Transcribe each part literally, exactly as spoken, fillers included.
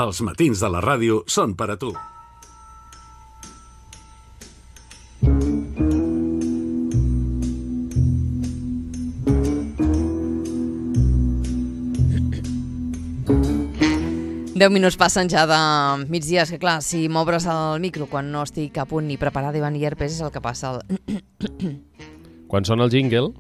Els matins de la ràdio són per a tu. Deu minuts passen ja de migdia, és que clar, si m'obres el micro quan no estic a punt ni preparada i van i herpes és el que passa. El... Quan sona el jingle,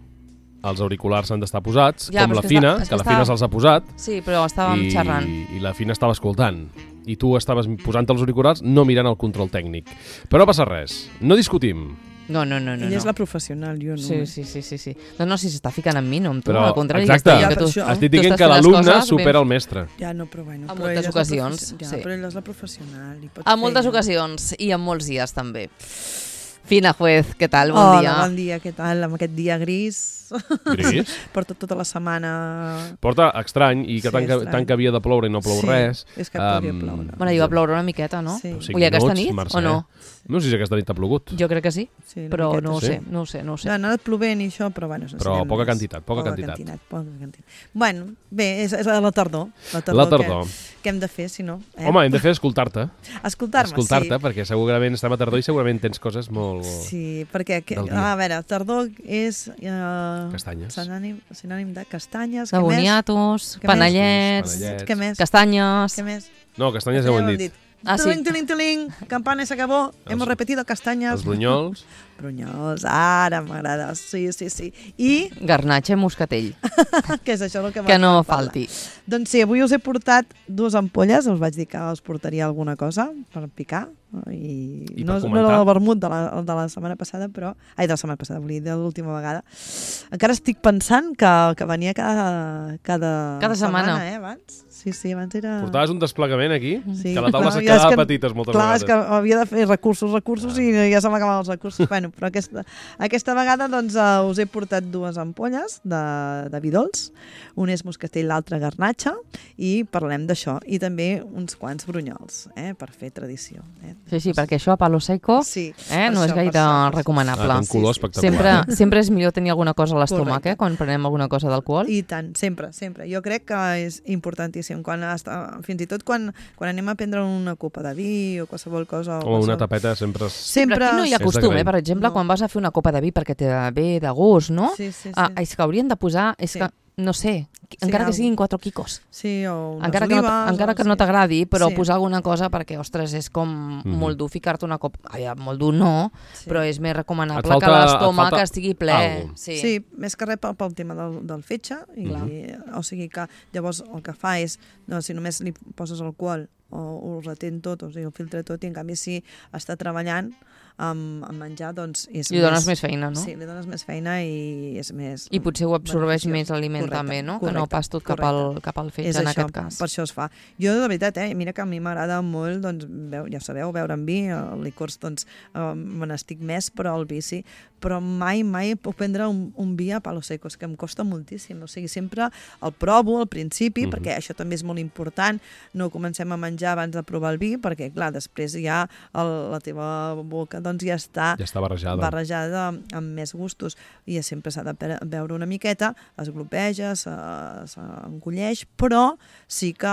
els auriculars han d'estar posats, Ja, com però la és que Fina, està- és que que la Fina està- se'ls ha posat, Sí, però estàvem i, xerrant. i la Fina estava escoltant. I tu estaves posant els auriculars no mirant el control tècnic. Però no passa res, no discutim. No, no, no, no. Ella és no. la professional, jo no. Sí, sí, sí, sí, sí. No, no, si s'està ficant amb mi, no amb tu, Però, al contrari. exacte, que estic- que tu, Ja, per això. estic tu dient estàs que fent les l'alumne coses supera ben- el mestre. Ja, no, però bueno. En però moltes ella és la ocasions, profe- Ja, sí. però ella és la professional. I pot En fer moltes ella. ocasions i en molts dies també. Fina Juez, què tal? Bon Hola, dia. bon dia, què tal? Amb aquest dia gris. Gris? Porto tota la setmana... Porta estrany i que Sí, tant, que, estrany. tant que havia de ploure i no plou Sí, res. és que podria Em, ploure. Bueno, hi va ploure una miqueta, no? Sí. cinc Ui, aquesta minuts, nit Mercè. o no? No sé si aquesta nit ha plogut. Jo crec que sí, Sí, una però miqueta, no ho sí. sé, no ho sé, no ho sé. No, no ha anat plovent i això, però bueno... Però ensenyem poca més. quantitat, poca quantitat. Poca quantitat. Bueno, bé, és, és la tardor. La tardor, La tardor. Que, que hem de fer, si no. Eh? Home, hem de fer escoltar-te. Escoltar-me, Escoltar-te, sí. perquè segurament estem a tardor i segurament tens coses molt... Sí, perquè, que, del dia. a veure, tardor és... Eh, Castanyes. Sinònim, sinònim de castanyes. De què més? boniatos, Què més? panellets, Panellets. Què més? castanyes... Què més? No, castanyes ja ho hem dit. Ah, sí. Tiling, tiling, tiling, campana se acabó. Els- Hemos repetido castañas. Els brunyols. Brunyols, ara m'agrada. Sí, sí, sí. I Garnatxa i moscatell, què és això el que, que no m'agrada parlar? falti. Doncs sí, avui us he portat dues ampolles, us vaig dir que us portaria alguna cosa per picar, i, I no, per no era comentar. el vermut de la, de la setmana passada, però... Ai, de la setmana passada, vull dir, de l'última vegada. Encara estic pensant que, que venia cada, cada, Cada setmana. eh, abans. Sí, sí, abans era... Portaves un desplegament aquí, Sí, que la taula clar, se ja és quedava que- petites moltes Clar, és vegades. que havia de fer recursos, recursos, i ja se m'acabaven els recursos. bueno, però aquesta, aquesta vegada doncs, uh, us he portat dues ampolles de, de vi dolç. Un és moscatell, l'altre garnatxa, i parlem d'això. I també uns quants brunyols, eh, per fer tradició. Eh? Sí, sí, perquè això a palo seco Sí, eh, per no és això, per gaire això, per això. recomanable. Ah, té un color Sí, sí. espectacular. Sempre, sempre és millor tenir alguna cosa a l'estómac, Correcte. eh, quan prenem alguna cosa d'alcohol. I tant, sempre, sempre. Jo crec que és importantíssim. Quan està, fins i tot quan, quan anem a prendre una copa de vi o qualsevol cosa... O una qualsevol- tapeta sempre... És... Sempre... Però aquí no hi ha És costum, eh? d'agrair. Per exemple, No. quan vas a fer una copa de vi perquè te ve de gust, no? Sí, sí, sí. Ah, és que haurien de posar, és Sí. que, no sé, Sí, encara que algo. siguin quatre quicos. Sí, o unes Encara que, no, olives, encara o- que no sí. t'agradi, però Sí. posar alguna cosa perquè, ostres, és com Mhm. molt dur ficar-te una copa... Ai, molt dur no, Sí. però és més recomanable Et falta- que l'estómac et falta estigui ple. algo. Sí. Sí, més que res pel, pel tema del, del fetge, i, Mhm. o sigui que llavors el que fa és, no, si només li poses alcohol o ho retén tot, o sigui, ho filtra tot, i en canvi si està treballant amb, amb menjar, doncs és Li dones més feina, no? Sí, li dones més feina i és més... I potser ho absorbeix beneficiós. més l'aliment Correcte, també, no? Que no correcte, pas tot cap al, correcte. cap al fetge És en això, aquest cas. per això es fa. Jo, de veritat, eh, mira que a mi m'agrada molt, doncs, veu, ja sabeu, beure amb vi, el licors, doncs, eh, me n'estic més, però el vi sí. Però mai, mai puc prendre un, un vi a palo seco, és que em costa moltíssim. O sigui, sempre el provo al principi, Mhm. perquè això també és molt important. No comencem a menjar abans de provar el vi, perquè, clar, després ja el, la teva boca doncs, ja està Ja està barrejada. barrejada amb més gustos, i sempre s'ha de pe- beure una miqueta, es glopeja, se- s'encolleix, però sí que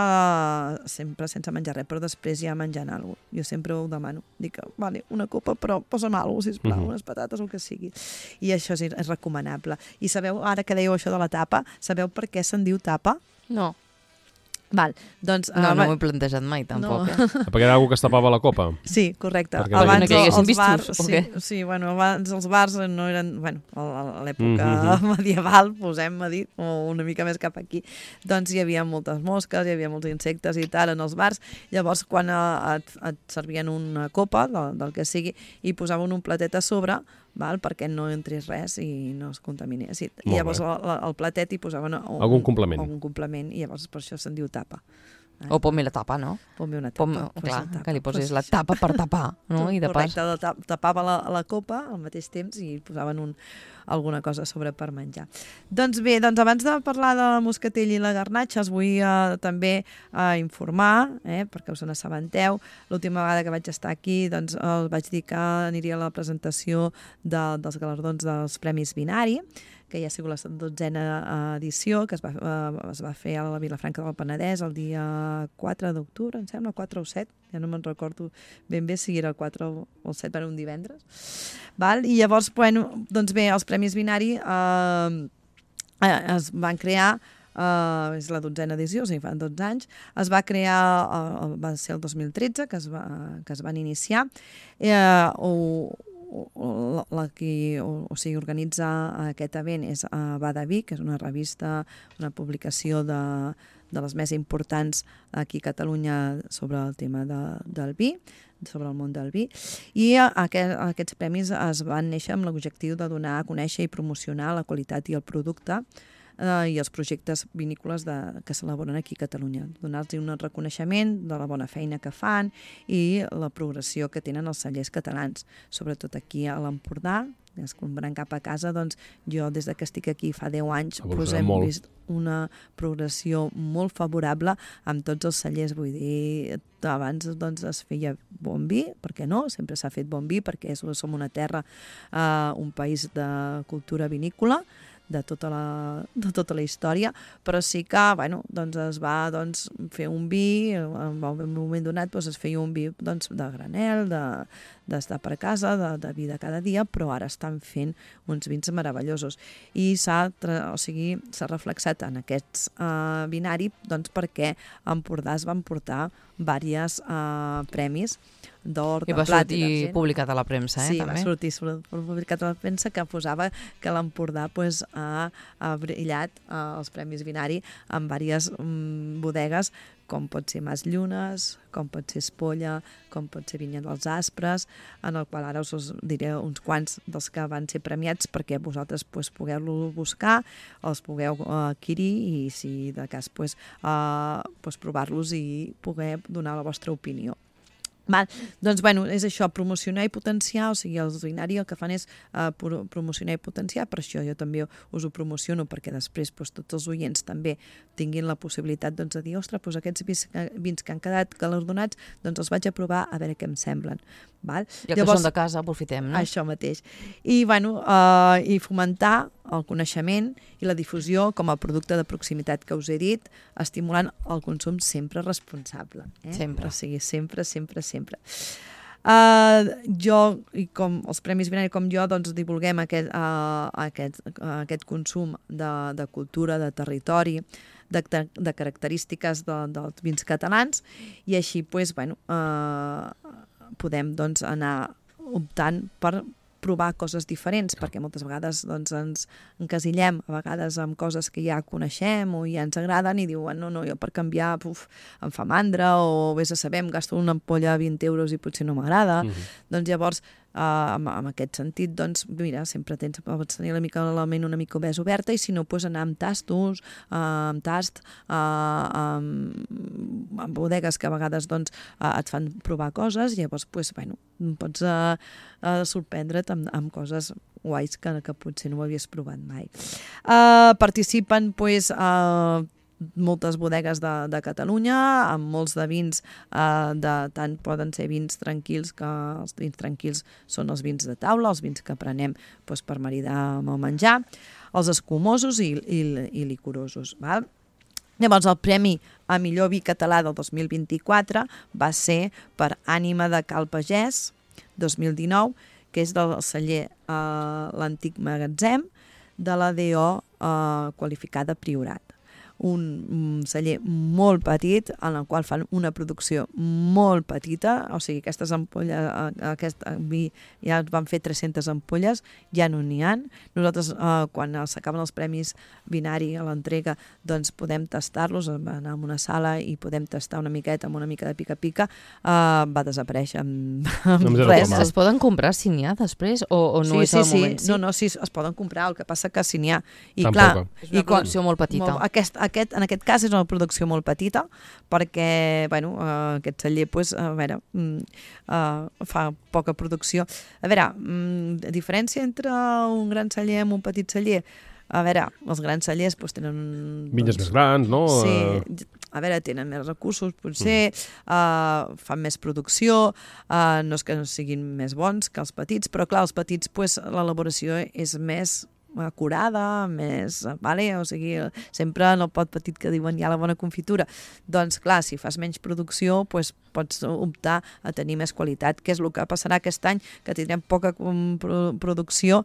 sempre sense menjar res, però després ja menjant alguna cosa. Jo sempre ho demano. Dic, vale, una copa, però posa'm alguna cosa, sisplau, Mhm. unes patates o el que sigui. I això és, és recomanable. I sabeu, ara que dèieu això de la tapa, sabeu per què se'n diu tapa? No, Val, doncs... no, ah, no va- m'ho he plantejat mai, tampoc. No. Eh? Perquè era algú que es tapava la copa. Sí, correcte. Perquè Abans no que hi haguessin els vistos, bars, o sí, què? sí, bueno, abans els bars no eren, bueno, a l'època Mhm. medieval, posem a dir, o una mica més cap aquí, doncs hi havia moltes mosques, hi havia molts insectes i tal en els bars. Llavors, quan eh, et, et servien una copa, del, del que sigui, i posaven un platet a sobre, val, perquè no entrés res i no es contaminés. I, i Molt llavors bé. al, al platet hi posaven un, Algun complement. algun complement, i llavors per això se'n diu tapa. O pon-me la tapa, no? Pon-me una Pon, tapa. posa clar, la tapa, que li posis posa la això. tapa per tapar, no? I de pas... Correcte, tap, tapava la, la copa al mateix temps i posaven un, alguna cosa a sobre per menjar. Doncs bé, doncs abans de parlar de la moscatell i la garnatxa, us vull eh, també eh, informar, eh, perquè us n'assabenteu. L'última vegada que vaig estar aquí, doncs us vaig dir que aniria a la presentació de, dels galardons dels Premis Binari, que ja ha sigut la dotzena edició, que es va, uh, es va fer a la Vilafranca del Penedès el dia quatre d'octubre, em sembla, quatre o set, ja no me'n recordo ben bé si era el quatre o el set, per un divendres. Val? I llavors, bueno, doncs bé, els Premis Binari eh, es van crear, Uh, és la dotzena edició, o sigui, fa dotze anys, es va crear, uh, va ser el dos mil tretze que es, va, que es van iniciar, uh, o, o, la qui o, o sigui, organitza aquest event és uh, Badaví, que és una revista, una publicació de, de les més importants aquí a Catalunya sobre el tema de, del vi, sobre el món del vi, i aquest, aquests premis es van néixer amb l'objectiu de donar a conèixer i promocionar la qualitat i el producte Uh, i els projectes vinícoles de, que s'elaboren aquí a Catalunya. Donar-los un reconeixement de la bona feina que fan i la progressió que tenen els cellers catalans, sobretot aquí a l'Empordà. Es compren cap a casa, doncs jo des de que estic aquí fa deu anys pues, hem molt. vist una progressió molt favorable amb tots els cellers, vull dir, abans doncs, es feia bon vi, per què no? Sempre s'ha fet bon vi perquè som una terra, uh, un país de cultura vinícola, de tota la, de tota la història, però sí que bueno, doncs es va doncs, fer un vi, en un moment donat doncs, es feia un vi doncs, de granel, de, d'estar per casa, de, de vi de cada dia, però ara estan fent uns vins meravellosos. I s'ha o sigui, s'ha reflexat en aquests uh, binari doncs, perquè a Empordà es van portar diversos uh, premis d'or, de I va plat sortir i d'argent. Publicat a la premsa, eh? Sí, també. va sortir publicat a la premsa que posava que l'Empordà pues, ha, ha brillat uh, els Premis Binari en diverses um, bodegues, com pot ser Mas Llunes, com pot ser Espolla, com pot ser Vinya dels Aspres, en el qual ara us, us diré uns quants dels que van ser premiats perquè vosaltres pues, pugueu-lo buscar, els pugueu uh, adquirir i si de cas pues, uh, pues, provar-los i poder donar la vostra opinió. Val. Doncs, bueno, és això, promocionar i potenciar, o sigui, els Binari el que fan és uh, promocionar i potenciar, per això jo també us ho promociono, perquè després doncs, tots els oients també tinguin la possibilitat doncs, de dir, ostres, doncs, aquests vins, vins que han quedat galardonats, doncs els vaig a provar a veure què em semblen. Val? Ja que Llavors, són de casa, aprofitem, no? Això mateix. I, bueno, uh, i fomentar el coneixement i la difusió com a producte de proximitat que us he dit, estimulant el consum sempre responsable. Eh? Sempre. O sigui, sempre, sempre, sempre. Uh, jo, i com els Premis Binari com jo, doncs divulguem aquest, uh, aquest, uh, aquest consum de, de cultura, de territori, de, de característiques de, dels vins catalans, i així, pues, bueno, uh, podem doncs, anar optant per provar coses diferents, perquè moltes vegades doncs, ens encasillem a vegades amb coses que ja coneixem o ja ens agraden i diuen, no, no, jo per canviar uf, em fa mandra o vés a saber, em gasto una ampolla a vint euros i potser no m'agrada. Mm-hmm. Doncs llavors, uh, en, en aquest sentit, doncs, mira, sempre tens, pots tenir la mica la ment una mica més oberta i si no, pues, anar amb tastos, uh, amb tast, uh, amb, amb bodegues que a vegades doncs, uh, et fan provar coses, llavors, pues, bueno, pots uh, uh, sorprendre't amb, amb coses guais que, que potser no ho havies provat mai. Uh, participen, pues, uh, moltes bodegues de, de Catalunya, amb molts de vins, uh, de, tant poden ser vins tranquils, que els vins tranquils són els vins de taula, els vins que prenem pues, per maridar amb el menjar, els escumosos i, i, i licorosos, val? Llavors, el Premi a Millor Vi Català del dos mil vint-i-quatre va ser per Ànima de Cal Pagès, dos mil dinou, que és del celler eh, l'Antic Magatzem de la D O eh, qualificada Priorat. Un, un celler molt petit en el qual fan una producció molt petita, o sigui, aquestes ampolles, aquest vi ja van fer tres-centes ampolles, ja no n'hi ha. Nosaltres, eh, quan s'acaben els premis Binari a l'entrega, doncs podem tastar-los, anar a una sala i podem tastar una miqueta amb una mica de pica-pica, eh, va desaparèixer amb, amb no res. Es poden comprar si n'hi ha després o, o no sí, és sí, el sí. moment? Sí, no, no, sí, es poden comprar, el que passa que si n'hi ha. I Tampoc. clar, És una i quan, producció molt petita. Molt, aquest, aquest, en aquest cas és una producció molt petita perquè bueno, uh, aquest celler pues, a veure, uh, fa poca producció. A veure, um, diferència entre un gran celler i un petit celler, a veure, els grans cellers pues, tenen... Vinyes doncs, més grans, no? Sí, a veure, tenen més recursos, potser, mm. uh, fan més producció, uh, no és que no siguin més bons que els petits, però clar, els petits, pues, l'elaboració és més acurada, més, vale? O sigui, sempre en el pot petit que diuen hi ha la bona confitura. Doncs clar, si fas menys producció, doncs pots optar a tenir més qualitat, que és el que passarà aquest any, que tindrem poca producció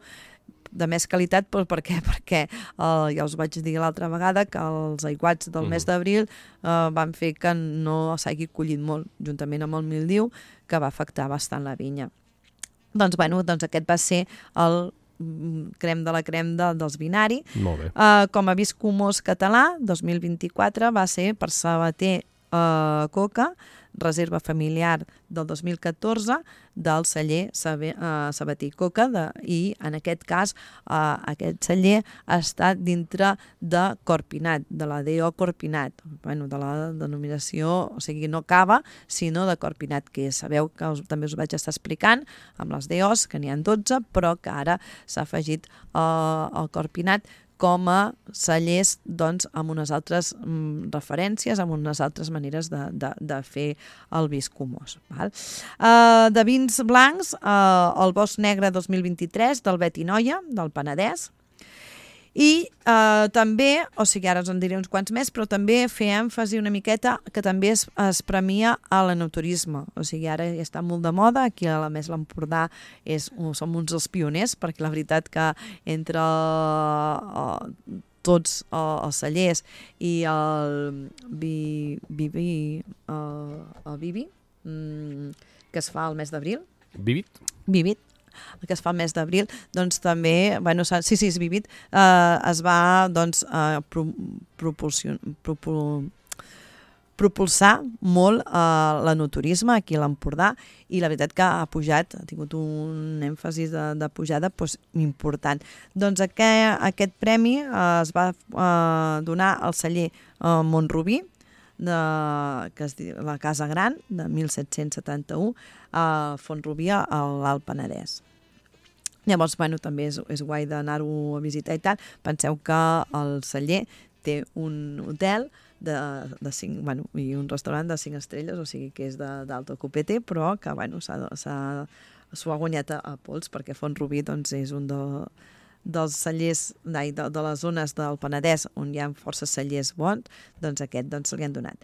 de més qualitat, però per què? Perquè eh, ja us vaig dir l'altra vegada que els aiguats del mes d'abril eh, van fer que no s'hagi collit molt, juntament amb el mildiu, que va afectar bastant la vinya. Doncs, bueno, doncs aquest va ser el crem de la crem de, dels binari. Molt bé. Uh, com a viscomós català, dos mil vint-i-quatre va ser per Sabater uh, Coca, reserva familiar del dos mil catorze del celler uh, Sabater Coca de, i en aquest cas uh, aquest celler està dintre de Corpinat, de la D O Corpinat, bueno, de la denominació, o sigui, no cava, sinó de Corpinat, que sabeu que us, també us vaig estar explicant amb les D Os, que n'hi ha dotze, però que ara s'ha afegit uh, el Corpinat com a cellers doncs, amb unes altres mm, referències, amb unes altres maneres de, de, de fer el vi escumós. Val? Uh, de vins blancs, uh, el Bosc Negre dos mil vint-i-tres del Betinoia, del Penedès, i uh, també, o sigui, ara us en diré uns quants més, però també fer èmfasi una miqueta que també es, es premia a l'enoturisme. O sigui, ara ja està molt de moda, aquí a la Més l'Empordà és, som uns dels pioners, perquè la veritat que entre uh, tots uh, els cellers i el Bibi, vi, uh, el Bibi, um, que es fa al mes d'abril. Vivit? Vivit. El que es fa el mes d'abril, doncs també, bueno, sí, sí, és Vivit, eh, es va, doncs, eh, pro, propul, propulsar molt eh, l'enoturisme aquí a l'Empordà i la veritat que ha pujat, ha tingut un èmfasi de, de pujada doncs, important. Doncs aquest, aquest premi eh, es va eh, donar al celler eh, Montrubí, de, que es diu la Casa Gran, de mil set-cents setanta-u, a Font-rubí, a l'Alt Penedès. Llavors, bueno, també és, és guai d'anar-ho a visitar i tal. Penseu que el celler té un hotel de, de cinc, bueno, i un restaurant de cinc estrelles, o sigui que és d'alto copete, però que bueno, s'ho ha guanyat a, a pols, perquè Font-rubí doncs, és un de, dels cellers de, de, de les zones del Penedès on hi ha força cellers bons, doncs aquest doncs, se li han donat.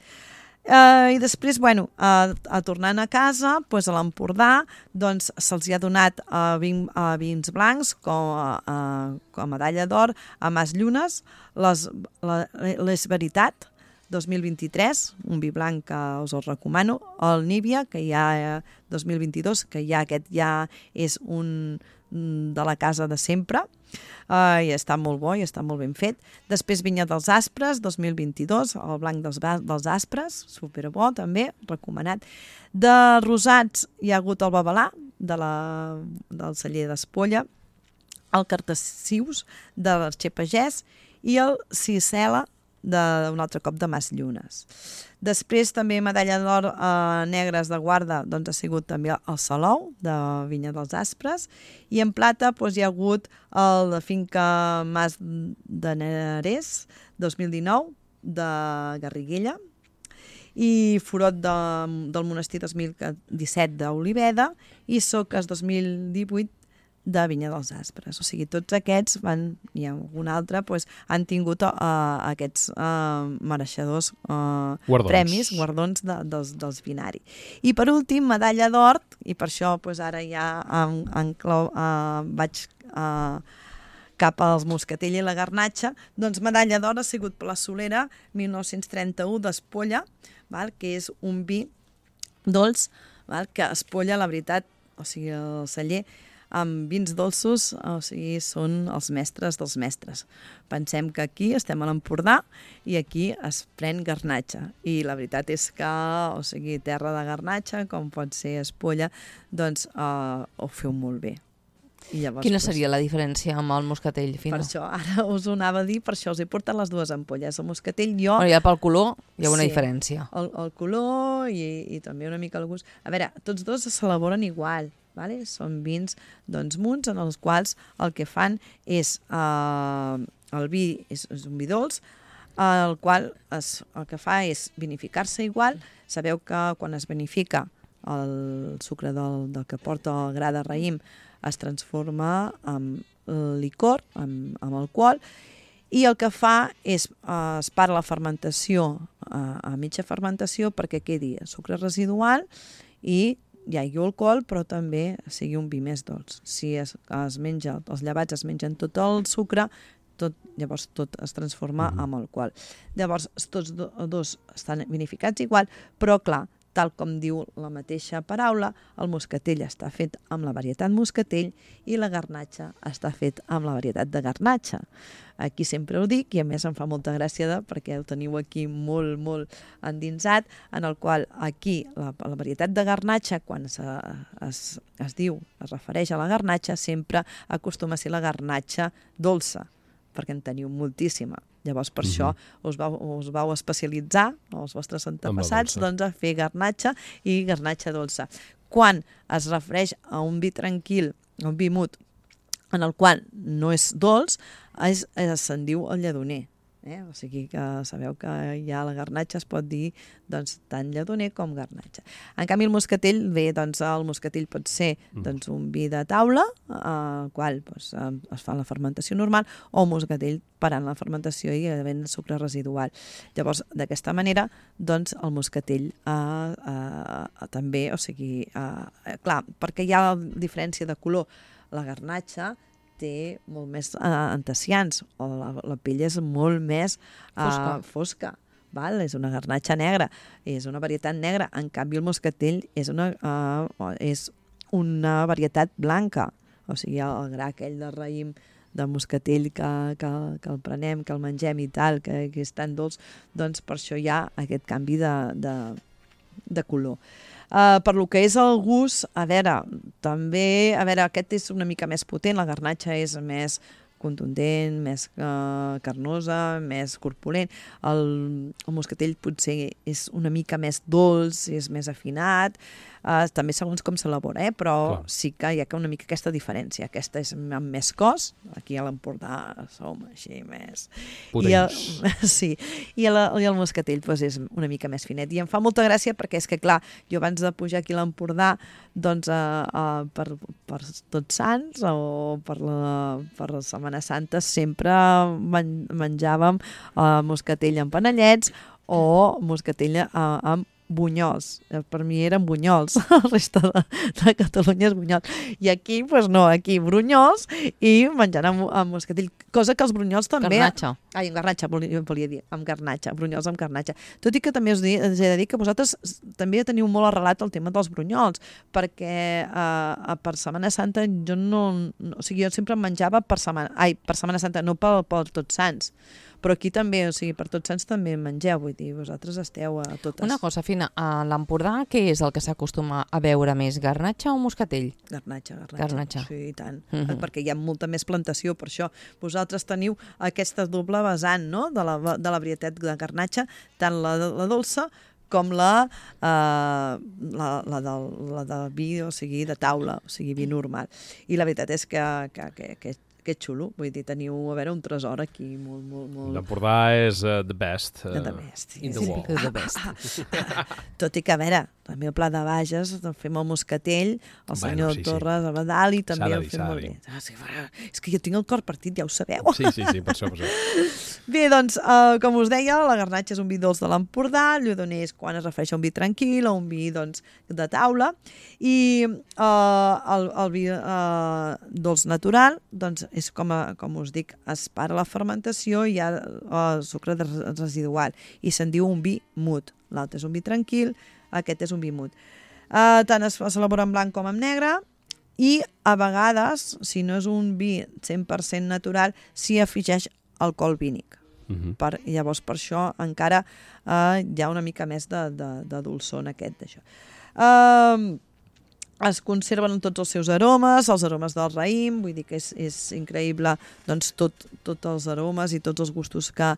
Uh, I després, bueno, uh, a tornant a casa, doncs a l'Empordà, doncs se'ls ha donat uh, vin, uh, vins blancs com a, uh, com a medalla d'or a Mas Llunes, les, la, les Veritat, dos mil vint-i-tres, un vi blanc que us el recomano, el Níbia, que hi ha dos mil vint-i-dos, que ja aquest ja és un de la casa de sempre, uh, i està molt bo i està molt ben fet. Després Vinya dels Aspres, dos mil vint-i-dos, el blanc dels, dels Aspres, superbo també, recomanat. De rosats hi ha hagut el Babalà, de la, del celler d'Espolla, el Cartassius, de l'Arxer Pagès, i el Cicela, d'un altre cop de Mas Llunes. Després també medalla d'or eh, negres de guarda doncs, ha sigut també el Salou de Vinya dels Aspres, i en plata doncs, hi ha hagut el de finca Mas de Nerers dos mil dinou de Garriguella, i Forot de, del Monestir dos mil disset d'Oliveda i Soques dos mil divuit de Vinya dels Aspres. O sigui, tots aquests van, i algun altre, doncs, han tingut uh, aquests uh, mereixedors uh, guardons. premis, guardons de, dels, dels binari. I per últim, medalla d'or, i per això doncs, ara ja en, en clau, uh, vaig uh, cap als Moscatell i la Garnatxa, doncs medalla d'or ha sigut per la Solera mil nou-cents trenta-u d'Espolla, val? Que és un vi dolç, val? Que Espolla, la veritat, o sigui, el celler, amb vins dolços, o sigui, són els mestres dels mestres. Pensem que aquí estem a l'Empordà i aquí es pren garnatxa. I la veritat és que, o sigui, terra de garnatxa, com pot ser Espolla, doncs eh, ho feu molt bé. I llavors, Quina seria la diferència amb el moscatell fino? Per això, ara us ho anava a dir, per això us he portat les dues ampolles. El moscatell jo... Bueno, ja pel color hi ha una sí, diferència. El, el color i, i també una mica el gust. A veure, tots dos s'elaboren igual, vale? Són vins doncs, munts en els quals el que fan és... Eh, el vi és, és un vi dolç, el qual es, el que fa és vinificar-se igual. Sabeu que quan es vinifica el sucre del, del que porta el gra de raïm es transforma en licor, en, en alcohol, i el que fa és, eh, es para la fermentació a, a mitja fermentació perquè quedi sucre residual i hi hagi alcohol, però també sigui un vi més dolç. Si es, es menja, els llevats es mengen tot el sucre, tot, llavors tot es transforma Mhm. en alcohol. Llavors, tots do, dos estan vinificats igual, però clar, tal com diu la mateixa paraula, el moscatell està fet amb la varietat moscatell i la garnatxa està fet amb la varietat de garnatxa. Aquí sempre ho dic i a més em fa molta gràcia de, perquè ho teniu aquí molt, molt endinsat, en el qual aquí la, la varietat de garnatxa, quan es, es, es diu, es refereix a la garnatxa, sempre acostuma a ser la garnatxa dolça, perquè en teniu moltíssima. Llavors, per Mhm. això us vau, us vau especialitzar, els vostres antepassats, dolça. doncs, a fer garnatxa i garnatxa dolça. Quan es refereix a un vi tranquil, a un vi mut, en el qual no és dolç, és, és, se'n diu el lledoner. Eh? O sigui que sabeu que ja la garnatxa es pot dir doncs, tant lledoner com garnatxa. En canvi, el moscatell, bé, doncs, el moscatell pot ser doncs, un vi de taula, al qual doncs, es fa la fermentació normal, o un moscatell parant la fermentació i havent sucre residual. Llavors, d'aquesta manera, doncs, el moscatell eh, eh, també, o sigui, eh, clar, perquè hi ha diferència de color. La garnatxa té molt més eh, antecians, o la, la pell és molt més eh, Fosca. fosca. Val? És una garnatxa negra, és una varietat negra. En canvi, el moscatell és una, uh, és una varietat blanca. O sigui, el gra aquell de raïm de moscatell que, que, que el prenem, que el mengem i tal, que, que és tan dolç, doncs per això hi ha aquest canvi de, de, de color. Uh, per lo que és el gust, a veure, també, a veure, aquest és una mica més potent, la garnatxa és més contundent, més uh, carnosa, més corpulent. El, el moscatell potser és una mica més dolç, és més afinat, uh, també segons com s'elabora, eh? Però Clar. sí que hi ha una mica aquesta diferència. Aquesta és amb més cos, aquí a l'Empordà som així més... I el, Potents. sí, i el, i el moscatell doncs, és una mica més finet. I em fa molta gràcia perquè és que, clar, jo abans de pujar aquí a l'Empordà, doncs, uh, uh, per, per Tots Sants o per la, per la Setmana Santa sempre men menjàvem uh, moscatell amb panellets o moscatell uh, amb bunyols. Per mi eren bunyols, la resta de, de Catalunya és bunyols. I aquí, doncs no, aquí brunyols i menjant amb, amb moscatell, cosa que els brunyols també... Garnatxa. Ai, amb garnatxa, volia, volia dir, amb garnatxa, brunyols amb garnatxa. Tot i que també us, di, us he de dir que vosaltres també teniu molt arrelat el tema dels brunyols, perquè eh, per Setmana Santa jo no, no... O sigui, jo sempre em menjava per Setmana... Ai, per Setmana Santa, no per, per Tots Sants. Però aquí també, o sigui, per Tots Sants també mengeu, vull dir, vosaltres esteu a totes. Una cosa, Fina, a l'Empordà què és el que s'acostuma a veure més, garnatxa o moscatell? Garnatxa, garnatxa. Garnatxa. Sí, i tant. Mhm. Uh-huh. Perquè hi ha molta més plantació, per això vosaltres teniu aquesta doble vessant, no?, de la, de la varietat de garnatxa, tant la, la dolça com la, eh, la, la, de, la de vi, o sigui, de taula, o sigui, vi normal. I la veritat és que, que, que, que que xulo, vull dir, teniu, a veure, un tresor aquí molt, molt, molt... L'Empordà és uh, the best. Uh, The best, in the sí. world. The best. Tot i que, a veure, també el Pla de Bages, doncs fem el moscatell, el Bueno, senyor sí, sí. Torres a Badal, i també S'ha de el dir, fem s'ha de molt dir. bé. Ah, sí, va, és que jo tinc el cor partit, ja ho sabeu. Sí, sí, sí, per això, per això. Bé, doncs, uh, com us deia, la garnatxa és un vi dolç de l'Empordà, el lledoner és quan es refereix a un vi tranquil, o un vi, doncs, de taula, i uh, el, el vi uh, dolç natural, doncs, és com, a, com us dic, es para la fermentació i hi ha uh, sucre de residual, i se'n diu un vi mut. L'altre és un vi tranquil, aquest és un vi mut. Uh, tant es, es elabora en blanc com en negre, i a vegades, si no és un vi cent per cent natural, s'hi afegeix alcohol vínic. Mhm. Per, llavors, per això encara eh, hi ha una mica més de, de, de dolçor en aquest d'això. Eh, es conserven tots els seus aromes, els aromes del raïm, vull dir que és, és increïble doncs, tot, tots els aromes i tots els gustos que,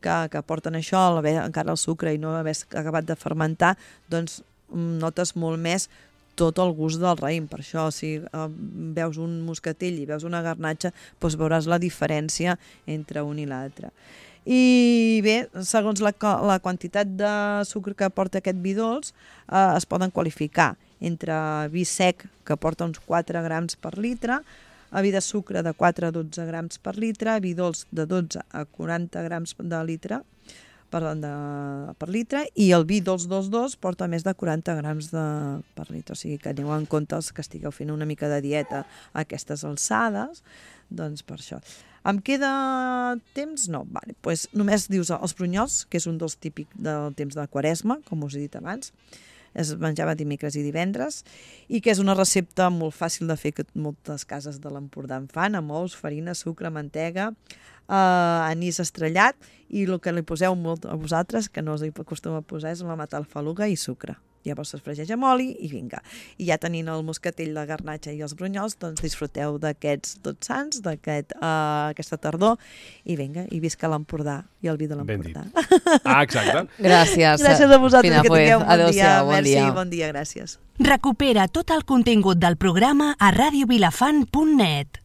que, que porten això, al haver encara el sucre i no haver acabat de fermentar, doncs notes molt més tot el gust del raïm. Per això, si eh, veus un moscatell i veus una garnatxa, doncs veuràs la diferència entre un i l'altre. I bé, segons la, la quantitat de sucre que porta aquest vi dolç, eh, es poden qualificar entre vi sec, que porta uns quatre grams per litre, a vi de sucre de quatre a dotze grams per litre, vi dolç de dotze a quaranta grams de litre per, de, per litre, i el vi dolç dos dos porta més de quaranta grams de, per litre. O sigui que aneu en compte els que estigueu fent una mica de dieta a aquestes alçades, doncs per això. Em queda temps? No. Vale. Pues només dius els brunyols, que és un dels típics del temps de Quaresma, com us he dit abans. Es menjava dimecres i divendres, i que és una recepta molt fàcil de fer, que moltes cases de l'Empordà en fan, amb ous, farina, sucre, mantega, eh, anís estrellat, i el que li poseu molt a vosaltres, que no us hi acostuma a posar, és la matalfaluga i sucre. Llavors es fregeix amb oli i vinga. I ja tenint el moscatell, la garnatxa i els brunyols, doncs disfruteu d'aquests Tots Sants, d'aquest, uh, aquesta tardor, i vinga, i visca l'Empordà i el vi de l'Empordà. Ah, exacte. Gràcies. Gràcies a vosaltres, Fina que tingueu un bon Adéu-siau, dia. bon Merci, dia. bon dia, gràcies. Recupera tot el contingut del programa a radio vilafant punt net.